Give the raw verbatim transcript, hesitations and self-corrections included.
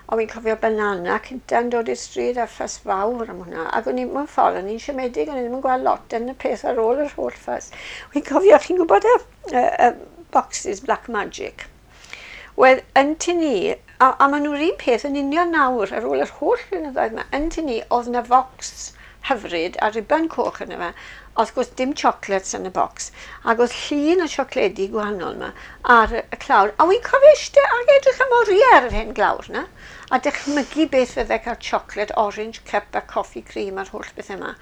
Ond fi'n cofio banana cynta'n dod i'r stryd a ffys fawr am hwnna. Ac o'n i mewn ffordd, o'n i'n siomedig, o'n i ddim yn gweld lot yn y peth ar ôl yr holl ffys. Fi'n cofio, chi'n gwybod y, y, y boxes Black Magic? Wel, yn tŷ ni, a, a maen nhw'r un peth yn union nawr, ar ôl yr holl blynyddoedd yma, yn tŷ ni, oedd yna focs hyfryd a ribbon coch yna fe, a wrth gwrs dim chocolates yn y bocs, ac oedd llun o siocledi gwahanol yma ar y clawr. A wy'n cofio eistedd ac edrych am oriau ar yr hen glawr yna, a dychmygu beth fydde cael chocolate orange cup a coffee cream a'r holl beth yma.